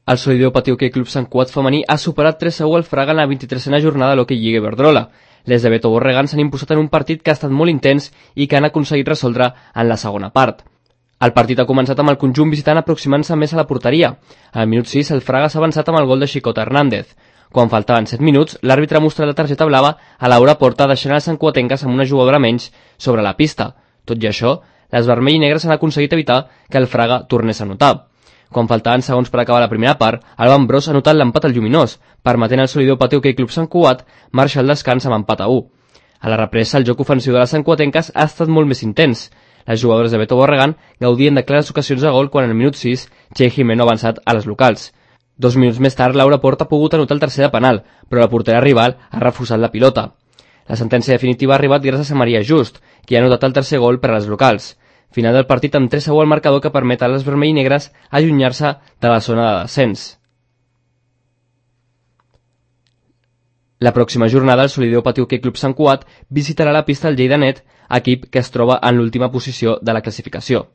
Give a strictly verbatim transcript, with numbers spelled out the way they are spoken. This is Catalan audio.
El Solideo Patí Hoquei Club Sant Cugat femení ha superat tres a u al Fraga en la vint-i-tresena jornada de l'Hockey Lliga Iberdrola. Les de Beto Borregans s'han imposat en un partit que ha estat molt intens i que han aconseguit resoldre en la segona part. El partit ha començat amb el conjunt visitant aproximant-se més a la porteria. Al minut sis, el Fraga s'ha avançat amb el gol de Xicota Hernández. Quan faltaven set minuts, l'àrbitre ha mostrat la targeta blava a Laura Porta, deixant els santcuatenques amb una jugadora menys sobre la pista. Tot i això, les vermell i negres han aconseguit evitar que el Fraga tornés a anotar. Quan faltaven segons per acabar la primera part, el Bambrós ha anotat l'empat al lluminós, permetent al Solideo Patí Hoquei Club Sant Cugat marxar al descans amb empat a u. A la represa, el joc ofensiu de les santcuatenques ha estat molt més intens. Les jugadores de Beto Borregan gaudien de clares ocasions de gol quan al minut sis Txell Jimeno ha avançat a les locals. Dos minuts més tard, Laura Porta ha pogut anotar el tercer de penal, però la portera rival ha refusat la pilota. La sentència definitiva ha arribat gràcies a Maria Just, qui ha anotat el tercer gol per a les locals. Final del partit amb tres a u al marcador que permet a les vermell i negres allunyar-se de la zona de descens. La pròxima jornada el Solideo Patí Hoquei Club Sant Cugat visitarà la pista del Lleida Net, equip que es troba en l'última posició de la classificació.